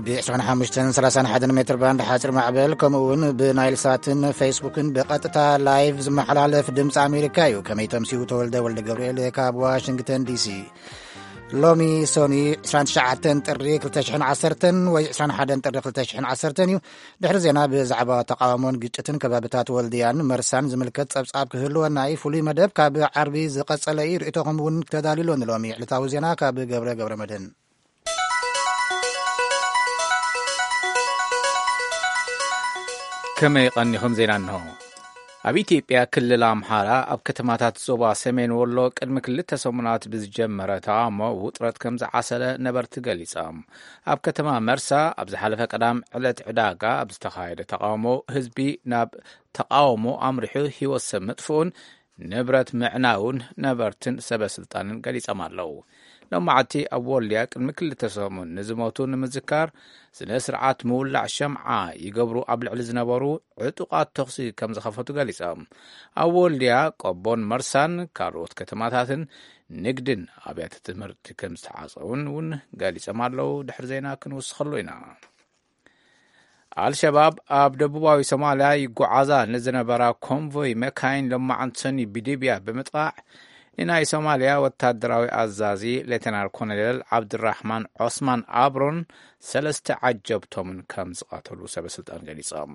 ብ25 31 ሜትር ባንድ ሓፂር ማዕበል፣ ከምኡ እውን ብናይል ሳትን ፌስቡክን ብቐጥታ ላይቭ ዝመሓላለፍ ድምፂ ኣሜሪካ እዩ። ከመይ ተምሲኡ? ተወልደ ወልደ ገብርኤል ካብ ዋሽንግተን ዲሲ። ሎሚ ሶኒ 29 ጥሪ 2010 ወይ 21 ጥሪ 2010 እዩ። ድሕሪ ዜና ብዛዕባ ተቃውሞን ግጭትን ከባብታት ወልድያን መርሳን ዝምልከት ጸብጻብ ክህልወና እዩ። ፍሉይ መደብ ካብ ዓርቢ ዝቐጸለ እዩ። ርእይቶኹም እውን ተዳልዩሎ። ንሎሚ ዕለታዊ ዜና ካብ ገብረ ገብረ መድህን። ከመይ ቀኒኹም? ዜና እንሆ። ኣብ ኢትዮጵያ ክልል ኣምሓራ ኣብ ከተማታት ዞባ ሰሜን ወሎ ቅድሚ ክልተ ሰሙናት ብዝጀመረ ተቓውሞ ውጥረት ከም ዝዓሰለ ነበርቲ ገሊጾም። ኣብ ከተማ መርሳ ኣብ ዝሓለፈ ቀዳም ዕለት ዕዳጋ ኣብ ዝተኻየደ ተቓውሞ ህዝቢ ናብ ተቓውሞ ኣምሪሑ ህይወት ሰብ ምጥፍኡን ንብረት ምዕናውን ነበርትን ሰበ ስልጣንን ገሊጾም ኣለዉ። ሎማዓቲ ኣብ ወልድያ ቅድሚ ክልተ ሰሙን ንዝሞቱ ንምዝካር ስነ ስርዓት ምውላዕ ሸምዓ ይገብሩ ኣብ ልዕሊ ዝነበሩ ዕጡቓት ተኹሲ ከም ዝኸፈቱ ገሊጾም። ኣብ ወልድያ፣ ቆቦን መርሳን ካልኦት ከተማታትን ንግድን ኣብያተ ትምህርቲ ከም ዝተዓጸውን እውን ገሊጾም ኣለዉ። ድሕሪ ዜና ክንውስኸሉ ኢና። ኣልሸባብ ኣብ ደቡባዊ ሶማልያ ይጓዓዛ ንዝነበራ ኮንቮይ መካይን ሎማዓንቲ ሰኒ ብድብያ ብምጥቓዕ፣ ንናይ ሶማልያ ወታደራዊ ኣዛዚ ሌተናል ኮሎኔል ዓብድራሕማን ዖስማን ኣብሮን ሰለስተ ዓጀብቶምን ከም ዝቐተሉ ሰበ ስልጣን ገሊጾም።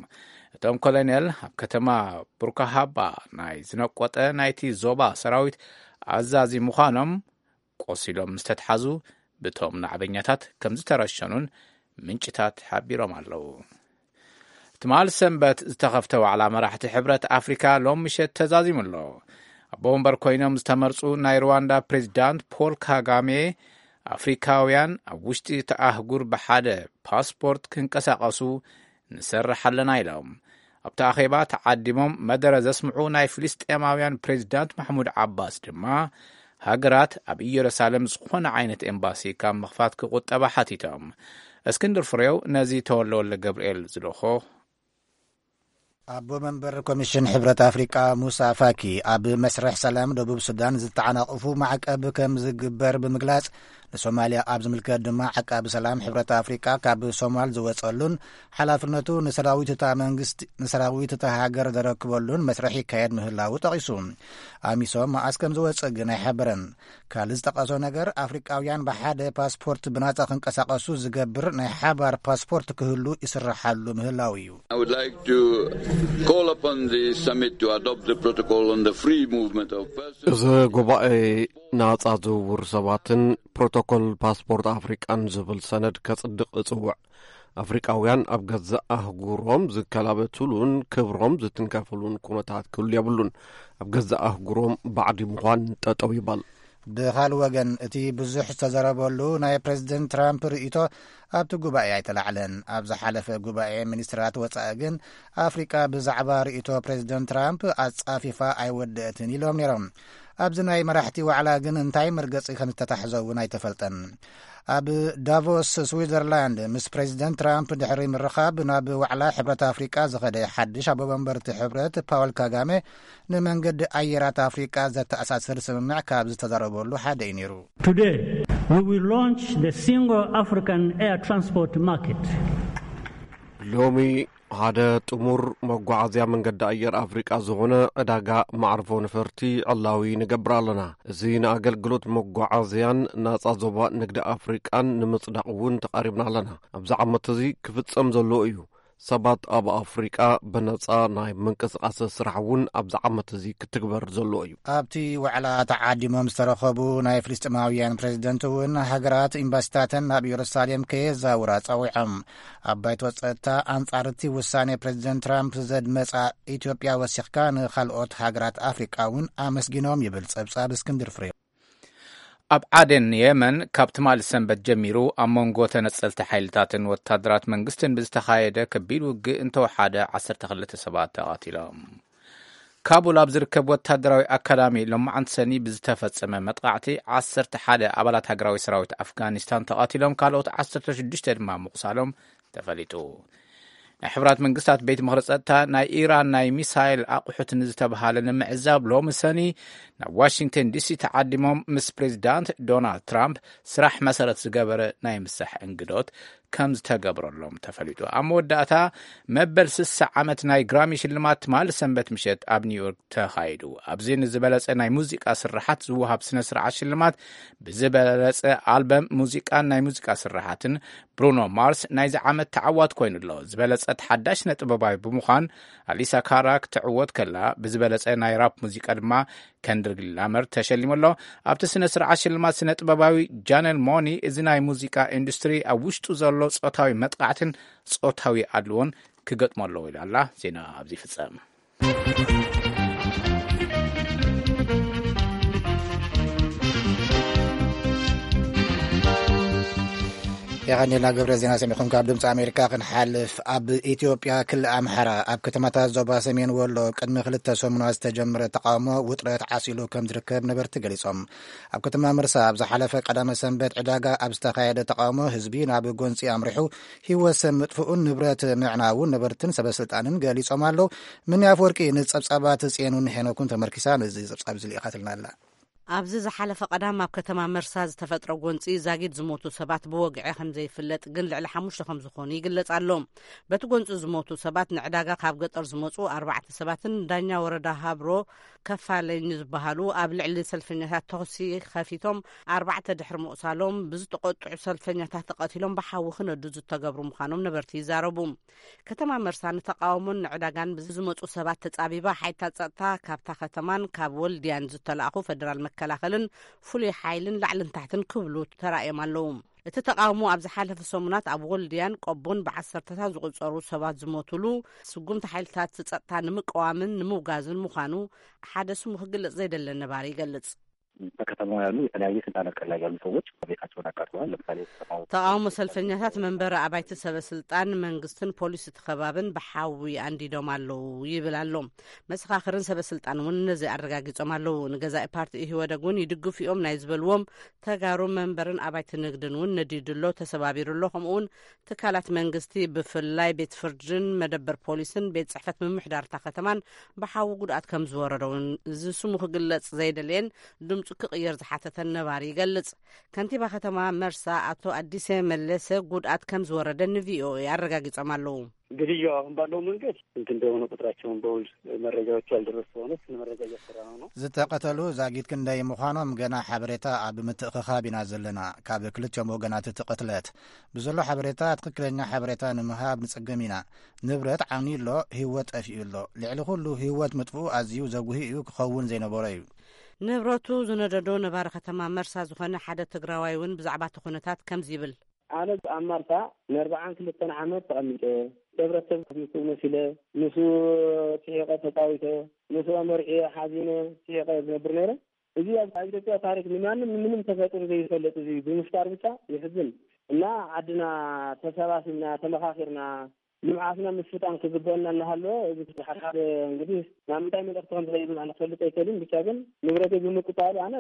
እቶም ኮሎኔል ኣብ ከተማ ቡርካሃባ ናይ ዝነቆጠ ናይቲ ዞባ ሰራዊት ኣዛዚ ምዃኖም ቆሲሎም ምስ ተትሓዙ ብቶም ናዕበኛታት ከም ዝተረሸኑን ምንጭታት ሓቢሮም ኣለዉ። ትማል ሰንበት ዝተኸፍተ ዋዕላ መራሕቲ ሕብረት ኣፍሪካ ሎም ምሸት ተዛዚሙ ኣሎ። ኣቦ ወንበር ኮይኖም ዝተመርጹ ናይ ሩዋንዳ ፕሬዚዳንት ፖል ካጋሜ፣ ኣፍሪካውያን ኣብ ውሽጢ እቲ ኣህጉር ብሓደ ፓስፖርት ክንቀሳቐሱ ንሰርሕ ኣለና ኢሎም። ኣብቲ ኣኼባ ተዓዲሞም መደረ ዘስምዑ ናይ ፍልስጤማውያን ፕሬዚዳንት ማሕሙድ ዓባስ ድማ፣ ሃገራት ኣብ ኢየሩሳሌም ዝኾነ ዓይነት ኤምባሲ ካብ ምኽፋት ክቑጠባ ሓቲቶም። እስክንድር ፍሬው ነዚ ተወልደ ወልደ ገብርኤል ዝልእኾ። ኣቦ መንበር ኮሚሽን ሕብረት ኣፍሪቃ ሙሳ ፋኪ፣ ኣብ መስርሕ ሰላም ደቡብ ሱዳን ዝተዓናቕፉ ማዕቀብ ከም ዝግበር ብምግላጽ፣ ንሶማልያ ኣብ ዝምልከት ድማ፣ ዓቃቢ ሰላም ሕብረት ኣፍሪቃ ካብ ሶማል ዝወጸሉን ሓላፍነቱ ንሰራዊት እታ መንግስቲ፣ ንሰራዊት እታ ሃገር ዘረክበሉን መስርሕ ይካየድ ምህላዉ ጠቒሱ። ኣሚሶም መኣስ ከም ዝወጽእ ግን ኣይሓበረን። ካልእ ዝጠቐሶ ነገር፣ ኣፍሪቃውያን ብሓደ ፓስፖርት ብናጻ ክንቀሳቐሱ ዝገብር ናይ ሓባር ፓስፖርት ክህሉ ይስርሓሉ ምህላው እዩ። I would like to call upon the summit to adopt the protocol on the free movement of persons. እዚ ጉባኤ ናጻ ዝውውር ሰባትን ፕሮቶኮል ፓስፖርት ኣፍሪቃን ዝብል ሰነድ ከጽድቕ እጽውዕ። ኣፍሪቃውያን ኣብ ገዛእ ኣህጉሮም ዝከላበትሉን ክብሮም ዝትንከፍሉን ኩነታት ክህሉ የብሉን። ኣብ ገዛእ ኣህጉሮም ባዕዲ ምዃን ጠጠው ይበል። ብኻልእ ወገን፣ እቲ ብዙሕ ዝተዘረበሉ ናይ ፕሬዚደንት ትራምፕ ርእይቶ ኣብቲ ጉባኤ ኣይተላዕለን። ኣብ ዝሓለፈ ጉባኤ ሚኒስትራት ወጻኢ ግን፣ ኣፍሪቃ ብዛዕባ ርእይቶ ፕሬዚደንት ትራምፕ ኣጻፊፋ ኣይወደአትን ኢሎም ነይሮም። ኣብዚ ናይ መራሕቲ ዋዕላ ግን እንታይ መርገጺ ከም ዝተታሕዘ እውን ኣይተፈልጠን። ኣብ ዳቮስ ስዊዘርላንድ ምስ ፕሬዚደንት ትራምፕ ድሕሪ ምርኻብ፣ ናብ ዋዕላ ሕብረት ኣፍሪቃ ዝኸደ ሓድሽ ኣቦ መንበርቲ ሕብረት ፓውል ካጋሜ፣ ንመንገዲ ኣየራት ኣፍሪቃ ዘተኣሳስር ስምምዕ ካብ ዝተዛረበሉ ሓደ እዩ ነይሩ። Today, we will launch the single African air transport market. ሎሚ ሓደ ጥሙር መጓዓዝያ መንገዲ ኣየር ኣፍሪቃ ዝኾነ ዕዳጋ መዕርፎ ነፈርቲ ዕላዊ ንገብር ኣለና። እዚ ንኣገልግሎት መጓዓዝያን ናጻ ዞባ ንግዲ ኣፍሪቃን ንምጽዳቕ እውን ተቓሪብና ኣለና። ኣብዚ ዓመት እዚ ክፍጸም ዘለዎ እዩ። ሰባት ኣብ ኣፍሪቃ ብነጻ ናይ ምንቅስቓስ ስራሕ እውን ኣብዚ ዓመት እዚ ክትግበር ዘለዎ እዩ። ኣብቲ ዋዕላ ተዓዲሞም ዝተረኸቡ ናይ ፍልስጤማውያን ፕሬዚደንት እውን፣ ሃገራት ኤምባሲታተን ናብ ኢየሩሳሌም ከየዛውራ ጸዊዖም። ኣብ ባይቶ ጸጥታ፣ ኣንጻር እቲ ውሳኔ ፕሬዚደንት ትራምፕ ዘድመጻ ኢትዮጵያ ወሲኽካ፣ ንኻልኦት ሃገራት ኣፍሪቃ እውን ኣመስጊኖም ይብል ጸብጻብ እስክንድር ፍሬው። ኣብ ዓደን የመን፣ ካብ ትማሊ ሰንበት ጀሚሩ ኣብ መንጎ ተነጸልቲ ሓይልታትን ወታደራት መንግስትን ብዝተኻየደ ከቢድ ውግእ እንተወሓደ ዓሰርተ ክልተ ሰባት ተቐቲሎም። ካቡል ኣብ ዝርከብ ወታደራዊ ኣካዳሚ ሎማዓንቲ ሰኒ ብዝተፈጸመ መጥቃዕቲ ዓሰርተ ሓደ ኣባላት ሃገራዊ ሰራዊት ኣፍጋኒስታን ተቐቲሎም፣ ካልኦት ዓሰርተ ሽዱሽተ ድማ ምቑሳሎም ተፈሊጡ። ናይ ሕቡራት መንግስታት ቤት ምኽሪ ጸጥታ፣ ናይ ኢራን ናይ ሚሳይል ኣቑሑት ንዝተብሃለ ንምዕዛብ ሎሚ ሰኒ ናብ ዋሽንግተን ዲሲ ተዓዲሞም ምስ ፕሬዚዳንት ዶናልድ ትራምፕ ስራሕ መሰረት ዝገበረ ናይ ምሳሕ እንግዶት ከም ዝተገብረሎም ተፈሊጡ። ኣብ መወዳእታ፣ መበል ስሳ ዓመት ናይ ግራሚ ሽልማት ትማሊ ሰንበት ምሸት ኣብ ኒውዮርክ ተኻይዱ። ኣብዚ ንዝበለጸ ናይ ሙዚቃ ስርሓት ዝወሃብ ስነ ስርዓት ሽልማት፣ ብዝበለጸ ኣልበም ሙዚቃን ናይ ሙዚቃ ስርሓትን ብሩኖ ማርስ ናይዚ ዓመት ተዓዋት ኮይኑ ኣሎ። ዝበለጸ ተሓዳሽ ስነ ጥበባዊ ብምዃን፣ ኣሊሳ ካራ ክትዕወት ከላ፣ ብዝበለጸ ናይ ራፕ ሙዚቃ ድማ ከንድሪክ ላመር ተሸሊሙ ኣሎ። ኣብቲ ስነ ስርዓት ሽልማት ስነ ጥበባዊ ጃነል ሞኒ፣ እዚ ናይ ሙዚቃ ኢንዱስትሪ ኣብ ውሽጡ ዘሎ ጾታዊ መጥቃዕትን ጾታዊ ኣድልዎን ክገጥሞ ኣለዎ ኢላ ኣላ። ዜና ኣብዚ ይፍጸም። የቐንየልና ገብረ። ዜና ሰሚዕኹም ካብ ድምፂ ኣሜሪካ ክንሓልፍ። ኣብ ኢትዮጵያ ክልል ኣምሓራ ኣብ ከተማታት ዞባ ሰሜን ወሎ ቅድሚ ክልተ ሰሙናት ዝተጀመረ ተቃውሞ ውጥረት ዓሲሉ ከም ዝርከብ ነበርቲ ገሊጾም። ኣብ ከተማ መርሳ ኣብ ዝሓለፈ ቀዳመ ሰንበት ዕዳጋ ኣብ ዝተኻየደ ተቃውሞ ህዝቢ ናብ ጎንፂ ኣምሪሑ ህይወት ሰብ ምጥፍኡን ንብረት ምዕናውን ነበርትን ሰበስልጣንን ገሊጾም ኣለዉ። ምኒ ኣፍወርቂ ንጸብጻባት ጽዮንን ሄኖክን ተመርኪሳ ነዚ ጸብጻብ እዚ ልኢኻትልና ኣላ። ኣብዚ ዝሓለፈ ቀዳም ኣብ ከተማ መርሳ ዝተፈጥረ ጎንፂ ዛጊድ ዝሞቱ ሰባት ብወግዒ ከም ዘይፍለጥ ግን ልዕሊ ሓሙሽተ ከም ዝኾኑ ይግለጽ ኣሎ። በቲ ጎንፂ ዝሞቱ ሰባት ንዕዳጋ ካብ ገጠር ዝመፁ ኣርባዕተ ሰባትን ዳኛ ወረዳ ሃብሮ ከፋለኝ ዝበሃሉ ኣብ ልዕሊ ሰልፈኛታት ተኹሲ ከፊቶም ኣርባዕተ ድሕሪ ምቑሳሎም ብዝተቆጥዑ ሰልፈኛታት ተቐቲሎም ብሓዊ ክነዱ ዝተገብሩ ምዃኖም ነበርቲ ይዛረቡ። ከተማ መርሳ ንተቃውሞን ንዕዳጋን ብዝመፁ ሰባት ተጻቢባ ሓይልታት ጸጥታ ካብታ ከተማን ካብ ወልድያን ዝተላእኹ ፈደራል መከላኸልን ፍሉይ ሓይልን ላዕልን ታሕትን ክብሉ ተራእዮም ኣለዉ። እቲ ተቃውሞ ኣብ ዝሓለፈ ሰሙናት ኣብ ወልድያን ቆቦን ብዓሰርተታት ዝቑጸሩ ሰባት ዝሞቱሉ ስጉምቲ ሓይልታት ጸጥታ ንምቅዋምን ንምውጋዝን ምዃኑ ሓደ ስሙ ክግለጽ ዘይደለ ነባሪ ይገልጽ። በከተማው ያሉ የተለያየ ስልጣን እርከን ላይ ያሉ ሰዎች ቤታቸውን አቃጥለዋል። ለምሳሌ ከተማው ተቃውሞ ሰልፈኛታት መንበሪ ኣባይቲ ሰበ ስልጣን መንግስትን ፖሊስ እቲ ከባብን ብሓዊ ኣንዲዶም ኣለዉ ይብል ኣሎ። መሰኻኽርን ሰበ ስልጣን እውን ነዚ ኣረጋጊጾም ኣለዉ። ንገዛኢ ፓርቲ ኢህወደግ እውን ይድግፉ እዮም ናይ ዝበልዎም ተጋሩ መንበርን ኣባይቲ ንግድን እውን ነዲዱ ኣሎ፣ ተሰባቢሩ ኣሎ። ከምኡ እውን ትካላት መንግስቲ ብፍላይ ቤት ፍርድን መደበር ፖሊስን ቤት ጽሕፈት ምምሕዳር እታ ከተማን ብሓዊ ጉድኣት ከም ዝወረዶ እውን እዚ ስሙ ክግለጽ ዘይደለየን ድምጹ ክቕየር ዝሓተተን ነባሪ ይገልጽ። ከንቲባ ከተማ መርሳ ኣቶ ኣዲሰ መለሰ ጉድኣት ከም ዝወረደ ንቪኦኤ ኣረጋጊጾም ኣለዉ። ግድያው አሁን ባለው መንገድ ስንት እንደሆነ ቁጥራቸውን በውል መረጃዎች ያልደረሱ ሆነ ስለ መረጃ እያሰራ ነው ነው። ዝተቐተሉ ዛጊት ክንደይ ምዃኖም ገና ሓበሬታ ኣብ ምትእኽኻብ ኢና ዘለና። ካብ ክልቲኦም ወገናት እቲ ቅትለት ብዘሎ ሓበሬታ ትኽክለኛ ሓበሬታ ንምሃብ ንጸገም ኢና። ንብረት ዓንዩ ኣሎ፣ ህይወት ጠፊኡ ኣሎ። ልዕሊ ኩሉ ህይወት ምጥፍኡ ኣዝዩ ዘጉሂ እዩ፣ ክኸውን ዘይነበሮ እዩ። ንብረቱ ዝነደዶ ነባሪ ከተማ መርሳ ዝኾነ ሓደ ትግራዋይ እውን ብዛዕባ እቲ ኩነታት ከምዚ ይብል። ኣነ ኣብ ማርሳ ንኣርባዓን ክልተን ዓመት ተቐሚጠ፣ ሕብረተሰብ ክፍልቱ መሲለ፣ ምስኡ ስሒቐ ተጻዊተ፣ ምስኡ መርዕየ ሓዚነ ስሒቐ ዝነብር ነይረ። እዚ ኣብ ኣብ ኢትዮጵያ ታሪክ ንማንም ንምንም ተፈጢሩ ዘይፈልጥ እዚ ብምፍጣር ብቻ የሕዝን። እና ዓድና ተሰባሲብና ተመኻኺርና ልምዓትና ምስልጣን ክግበአና እናሃለወ እዚ ሓደ ሓደ እንግዲህ ናብ ምንታይ መልእኽቲ ከም ዝኸይድ ኣነ ክፈልጥ ኣይክእልን። ብቻ ግን ንብረተይ ብምቅጻሉ ኣነ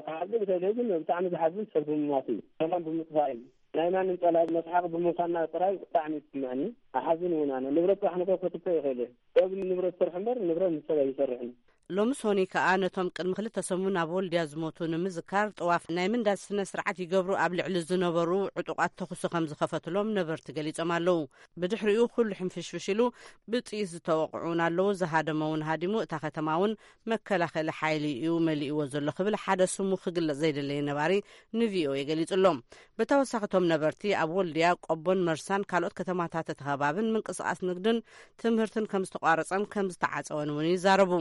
ክሓዝን ይኽእል እየ፣ ግን ብጣዕሚ ዝሓዝን ሰብ ብምማቱ እዩ፣ ሰላም ብምጥፋእ እዩ። ናይ ማንም ጸላኢ መስሓቂ ብምዃንና ጥራይ ብጣዕሚ ይስምዐኒ። ኣሓዝን እውን ኣነ ንብረት ጥራሕ ንኮ ከጥፍእ ይኽእል እየ። ሰብ ንብረት ይሰርሕ እምበር ንብረት ንሰብ ኣይሰርሕን። ሎሚ ሶኒ ከኣ ነቶም ቅድሚ ክልተ ሰሙን ኣብ ወልድያ ዝሞቱ ንምዝካር ጥዋፍ ናይ ምንዳድ ስነ ስርዓት ይገብሩ ኣብ ልዕሊ ዝነበሩ ዕጡቓት ተኹሲ ከም ዝኸፈትሎም ነበርቲ ገሊጾም ኣለዉ። ብድሕሪኡ ኩሉ ሕንፍሽፍሽ ኢሉ ብጥይት ዝተወቕዑ እውን ኣለዉ። ዝሃደመ እውን ሃዲሙ፣ እታ ከተማ እውን መከላኸሊ ሓይሊ እዩ መሊእዎ ዘሎ ክብል ሓደ ስሙ ክግለጽ ዘይደለየ ነባሪ ንቪኦኤ ገሊጹ ኣሎ። ብተወሳኺ እቶም ነበርቲ ኣብ ወልድያ፣ ቆቦን መርሳን ካልኦት ከተማታት እቲ ከባብን ምንቅስቓስ ንግድን ትምህርትን ከም ዝተቋረጸን ከም ዝተዓጸወን እውን ይዛረቡ።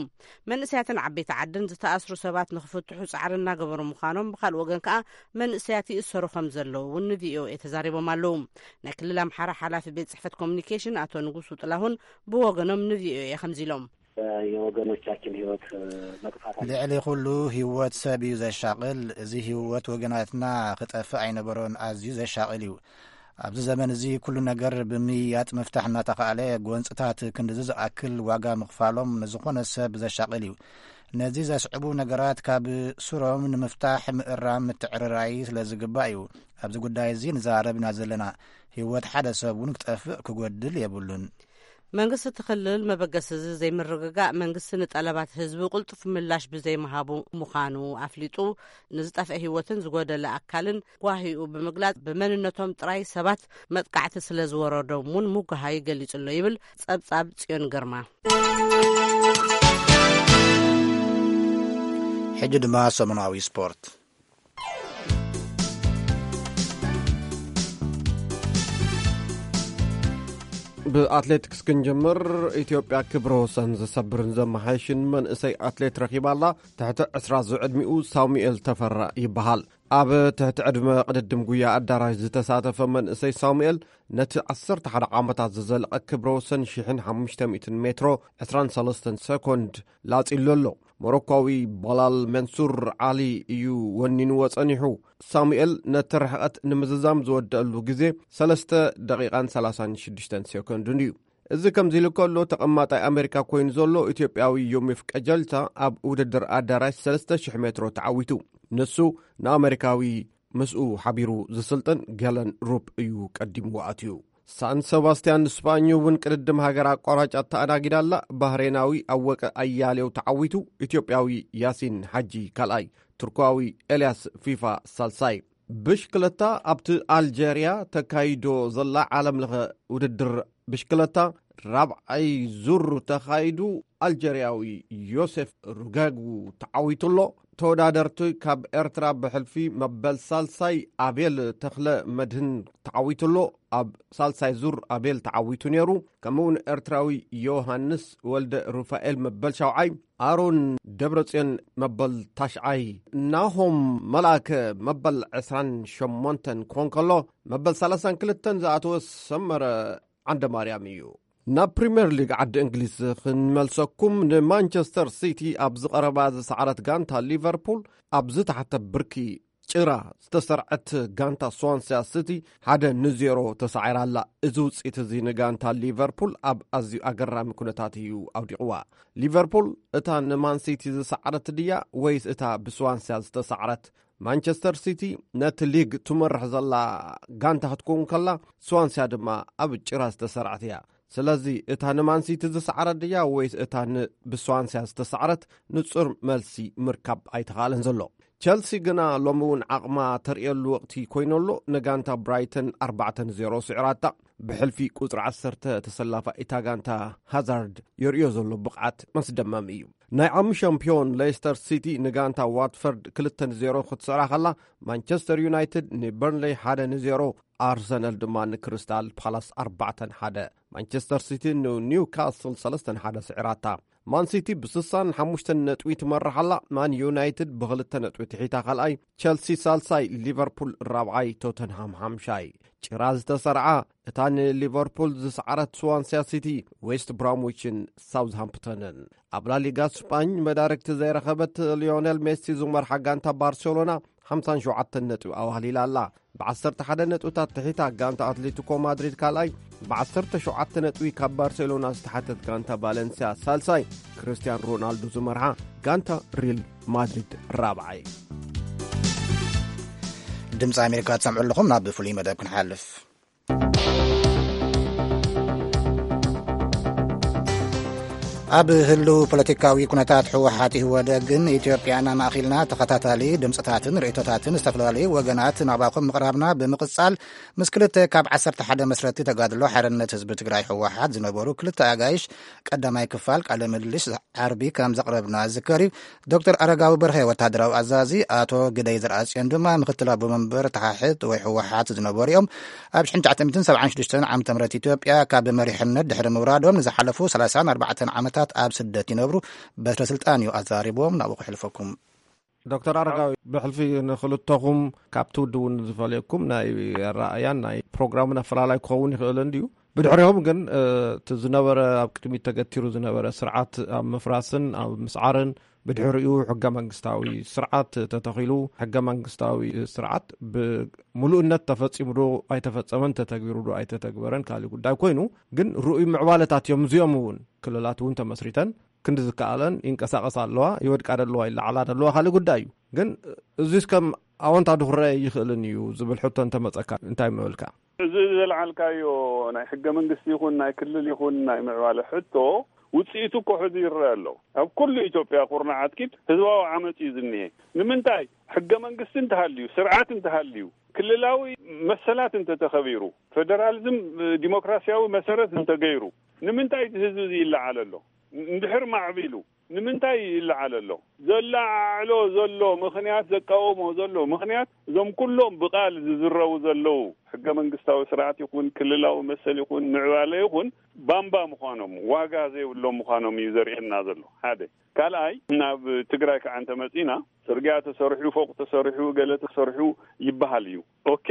መንእሰያትን ዓበይቲ ዓድን ዝተኣስሩ ሰባት ንክፍትሑ ጻዕሪ እናገበሩ ምዃኖም፣ ብኻልእ ወገን ከኣ መንእሰያት ይእሰሩ ከም ዘለዉ እውን ንቪኦኤ ተዛሪቦም ኣለዉ። ናይ ክልል ኣምሓራ ሓላፊ ቤት ጽሕፈት ኮሚኒኬሽን ኣቶ ንጉሱ ጥላሁን ብወገኖም ንቪኦኤ ከምዚ ኢሎም። የወገኖቻችን ህይወት መጥፋት አለ። ልዕሊ ኩሉ ህይወት ሰብ እዩ ዘሻቕል። እዚ ህይወት ወገናትና ክጠፍእ ኣይነበሮን፣ ኣዝዩ ዘሻቕል እዩ። ኣብዚ ዘመን እዚ ኩሉ ነገር ብምይያጥ ምፍታሕ እናተኻእለ፣ ጎንፅታት ክንድዚ ዝኣክል ዋጋ ምኽፋሎም ንዝኾነ ሰብ ዘሻቕል እዩ። ነዚ ዘስዕቡ ነገራት ካብ ሱሮም ንምፍታሕ ምእራም ምትዕርራይ ስለ ዝግባእ እዩ ኣብዚ ጉዳይ እዚ ንዛረብ ኢና ዘለና። ህይወት ሓደ ሰብ እውን ክጠፍእ ክጎድል የብሉን። መንግስቲ እቲ ክልል መበገሲ እዚ ዘይምርግጋእ መንግስቲ ንጠለባት ህዝቢ ቅልጡፍ ምላሽ ብዘይምሃቡ ምዃኑ ኣፍሊጡ፣ ንዝጠፍአ ህይወትን ዝጎደለ ኣካልን ጓሂኡ ብምግላጽ፣ ብመንነቶም ጥራይ ሰባት መጥቃዕቲ ስለ ዝወረዶም እውን ምጉሃይ ገሊጹ ኣሎ ይብል ጸብጻብ ጽዮን ግርማ። ሕጂ ድማ ሰሙናዊ ስፖርት። ብኣትሌቲክስ ክንጅምር። ኢትዮጵያ ክብረ ወሰን ዘሰብርን ዘመሓየሽን መንእሰይ ኣትሌት ረኺባ ኣላ። ትሕቲ ዕስራ ዝዕድሚኡ ሳሙኤል ተፈራ ይበሃል። ኣብ ትሕቲ ዕድመ ቅድድም ጉያ ኣዳራሽ ዝተሳተፈ መንእሰይ ሳሙኤል፣ ነቲ ዓሰርተ ሓደ ዓመታት ዝዘለቐ ክብረ ወሰን ሽሕን ሓሙሽተ ሚእትን ሜትሮ ዕስራን ሰለስተን ሰኮንድ ላጺሉ ኣሎ። ሞሮኳዊ ባላል መንሱር ዓሊ እዩ ወኒንዎ ጸኒሑ። ሳሙኤል ነቲ ርሕቐት ንምዝዛም ዝወደአሉ ግዜ ሰለስተ ደቂቓን ሰላሳን ሽዱሽተን ሴኮንድን እዩ። እዚ ከምዚ ኢሉ ከሎ፣ ተቐማጣይ ኣሜሪካ ኮይኑ ዘሎ ኢትዮጵያዊ ዮሚፍ ቀጀልቻ ኣብ ውድድር ኣዳራሽ ሰለስተ ሽሕ ሜትሮ ተዓዊቱ። ንሱ ንኣሜሪካዊ ምስኡ ሓቢሩ ዝስልጥን ገለን ሩፕ እዩ ቀዲምዎ ኣትዩ። ሳን ሰባስቲያን ስፓኝ እውን ቅድድም ሃገር ኣቋራጭ ኣተኣናጊዳ ኣላ። ባህሬናዊ ኣወቀ ኣያሌው ተዓዊቱ። ኢትዮጵያዊ ያሲን ሓጂ ካልኣይ፣ ቱርኳዊ ኤልያስ ፊፋ ሳልሳይ። ብሽክለታ። ኣብቲ ኣልጀርያ ተካይዶ ዘላ ዓለም ለኸ ውድድር ብሽክለታ ራብዓይ ዙር ተኻይዱ፣ ኣልጀርያዊ ዮሴፍ ሩጋጉ ተዓዊቱ ኣሎ። ተወዳደርቲ ካብ ኤርትራ ብሕልፊ መበል ሳልሳይ ኣቤል ተኽለ መድህን ተዓዊቱ ኣሎ። ኣብ ሳልሳይ ዙር ኣቤል ተዓዊቱ ነይሩ። ከምኡ እውን ኤርትራዊ ዮሃንስ ወልደ ሩፋኤል መበል ሻውዓይ፣ ኣሮን ደብረጽዮን መበል ታሽዓይ፣ ናሆም መላከ መበል ዕስራን ሸሞንተን ክኾን ከሎ፣ መበል ሰላሳን ክልተን ዝኣተወ ሰመረ ዓንደ ማርያም እዩ። ናብ ፕሪምየር ሊግ ዓዲ እንግሊዝ ክንመልሰኩም። ንማንቸስተር ሲቲ ኣብ ዝቐረባ ዝሰዓረት ጋንታ ሊቨርፑል፣ ኣብ ዝተሓተ ብርኪ ጭራ ዝተሰርዐት ጋንታ ስዋንሲያ ሲቲ ሓደ ንዜሮ ተሳዒራ ኣላ። እዚ ውፅኢት እዚ ንጋንታ ሊቨርፑል ኣብ ኣዝዩ ኣገራሚ ኩነታት እዩ ኣውዲቕዋ። ሊቨርፑል እታ ንማን ሲቲ ዝሰዓረት ድያ ወይስ እታ ብስዋንሲያ ዝተሳዕረት? ማንቸስተር ሲቲ ነቲ ሊግ ትመርሕ ዘላ ጋንታ ክትከውን ከላ፣ ስዋንሲያ ድማ ኣብ ጭራ ዝተሰርዐት እያ። ስለዚ እታ ንማን ሲቲ ዝሰዓረት ድያ ወይስ እታ ን-፣ ብስዋንሲያ ዝተሳዕረት? ንጹር መልሲ ምርካብ ኣይተኻእለን ዘሎ። ቸልሲ ግና ሎሚ እውን ዓቕማ ተርእየሉ ወቕቲ ኮይኑ ኣሎ። ንጋንታ ብራይተን ኣርባዕተ ንዜሮ ስዒራታ። ብሕልፊ ቁጽሪ ዓሰርተ ተሰላፋ እታ ጋንታ ሃዛርድ የርእዮ ዘሎ ብቕዓት መስደመም እዩ። ናይ ዓሚ ሻምፒዮን ሌስተር ሲቲ ንጋንታ ዋትፈርድ ክልተ ንዜሮ ክትስዕራ ከላ፣ ማንቸስተር ዩናይትድ ንበርንሌይ ሓደ ንዜሮ፣ ኣርሰናል ድማ ንክሪስታል ፓላስ ኣርባዕተ ንሓደ፣ ማንቸስተር ሲቲ ንኒውካስል ሰለስተ ንሓደ ስዒራታ። ማን ሲቲ ብስሳን ሓሙሽተን ነጥቢ ትመርሕ ኣላ። ማን ዩናይትድ ብኽልተ ነጥቢ ትሒታ ካልኣይ፣ ቸልሲ ሳልሳይ፣ ሊቨርፑል ራብዓይ፣ ቶተንሃም ሓምሻይ። ጭራ ዝተሰርዓ እታ ንሊቨርፑል ዝሰዓረት ስዋንሲያ ሲቲ፣ ዌስት ብራምዊችን ሳውዝሃምፕተንን። ኣብ ላሊጋ ስፓኝ መዳርግቲ ዘይረኸበት ሊዮኔል ሜሲ ዝመርሓ ጋንታ ባርሴሎና ሓምሳን ሸውዓተን ነጥቢ ኣዋህሊላ ኣላ። ብዓሰርተ ሓደ ነጥብታት ትሒታ ጋንታ ኣትሌቲኮ ማድሪድ ካልኣይ፣ ብዓሰርተ ሸውዓተ ነጥቢ ካብ ባርሴሎና ዝተሓተት ጋንታ ቫለንሲያ ሳልሳይ፣ ክርስቲያን ሮናልዶ ዝመርሓ ጋንታ ሪል ማድሪድ ራብዓይ። ድምፂ ኣሜሪካ ትሰምዑ ኣለኹም። ናብ ፍሉይ መደብ ክንሓልፍ። ኣብ ህልው ፖለቲካዊ ኩነታት ህወሓት ኢህወደግን ኢትዮጵያን ኣማእኺልና ተኸታታሊ ድምፅታትን ርእይቶታትን ዝተፈላለዩ ወገናት ናባኹም ምቕራብና ብምቕፃል፣ ምስ ክልተ ካብ ዓሰርተ ሓደ መስረቲ ተጋድሎ ሓርነት ህዝቢ ትግራይ ህወሓት ዝነበሩ ክልተ ኣጋይሽ ቀዳማይ ክፋል ቃለ ምልልስ ዓርቢ ከም ዘቕረብና ዝዝከር እዩ። ዶክተር ኣረጋዊ በርሀ ወታደራዊ ኣዛዚ፣ ኣቶ ግደይ ዘርኣጽዮን ድማ ምክትል ኣቦ መንበር ተሓሕት ወይ ህወሓት ዝነበሩ እዮም። ኣብ ሽሕን ትሽዓተ ሚእትን ሰብዓን ሽዱሽተን ዓመተ ምህረት ኢትዮጵያ ካብ መሪሕነት ድሕሪ ምውራዶም ንዝሓለፉ ሰላሳን ኣርባዕተን ዓመታት ኣብ ስደት ይነብሩ። በትረ ስልጣን እዩ ኣዛሪቦም። ናብኡ ክሕልፈኩም። ዶክተር ኣረጋዊ፣ ብሕልፊ ንክልተኹም ካብቲ ውድብ እውን ዝፈልየኩም ናይ ኣረኣእያን ናይ ፕሮግራምን ኣፈላላይ ክኸውን ይኽእል እንድዩ። ብድሕሪኦም ግን፣ እ፣ እቲ ዝነበረ፣ ኣብ ቅድሚት ተገቲሩ ዝነበረ ስርዓት ኣብ ምፍራስን ኣብ ምስዓርን፣ ብድሕሪኡ ሕገ መንግስታዊ ስርዓት ተተኺሉ፣ ሕገ መንግስታዊ ስርዓት ብምሉእነት ተፈጺሙ ዶ ኣይተፈጸመን፣ ተተግቢሩ ዶ ኣይተተግበረን ካልእ ጉዳይ ኮይኑ፣ ግን ርኡይ ምዕባለታት እዮም። እዚኦም እውን ክልላት እውን ተመስሪተን ክንዲ ዝከኣለን ይንቀሳቐሳ ኣለዋ፣ ይወድቃ ዶ ኣለዋ፣ ይለዓላ ዶ ኣለዋ፣ ካልእ ጉዳይ እዩ። ግን እዚስ ከም ኣወንታ ዶ ክረአ ይኽእልን እዩ ዝብል ሕቶ እንተመጸካ እንታይ ምበልካ? እዚ ዘልዓልካዮ ናይ ሕገ መንግስቲ ይኹን ናይ ክልል ይኹን ናይ ምዕባለ ሕቶ ውፅኢቱ እኮ ሕዚ ይረአ ኣሎ። ኣብ ኩሉ ኢትዮጵያ ኩርናዓት ኪድ ህዝባዊ ዓመፅ እዩ ዝኒሄ። ንምንታይ? ሕገ መንግስቲ እንተሃልዩ፣ ስርዓት እንተሃልዩ፣ ክልላዊ መሰላት እንተተኸቢሩ፣ ፌደራሊዝም ዲሞክራሲያዊ መሰረት እንተገይሩ፣ ንምንታይ እቲ ህዝቢ እዚ ይለዓል ኣሎ? እንድሕር ማዕቢሉ ንምንታይ ይለዓል ኣሎ? ዘላዓዕሎ ዘሎ ምኽንያት፣ ዘቃወሞ ዘሎ ምኽንያት፣ እዞም ኩሎም ብቓል ዝዝረቡ ዘለዉ ሕገ መንግስታዊ ስርዓት ይኹን ክልላዊ መሰል ይኹን ምዕባለ ይኹን ባምባ ምዃኖም፣ ዋጋ ዘይብሎም ምዃኖም እዩ ዘርእየና ዘሎ። ሓደ። ካልኣይ፣ ናብ ትግራይ ከዓ እንተመፂና፣ ፅርግያ ተሰሪሑ፣ ፎቕ ተሰሪሑ፣ ገለ ተሰሪሑ ይበሃል እዩ። ኦኬ፣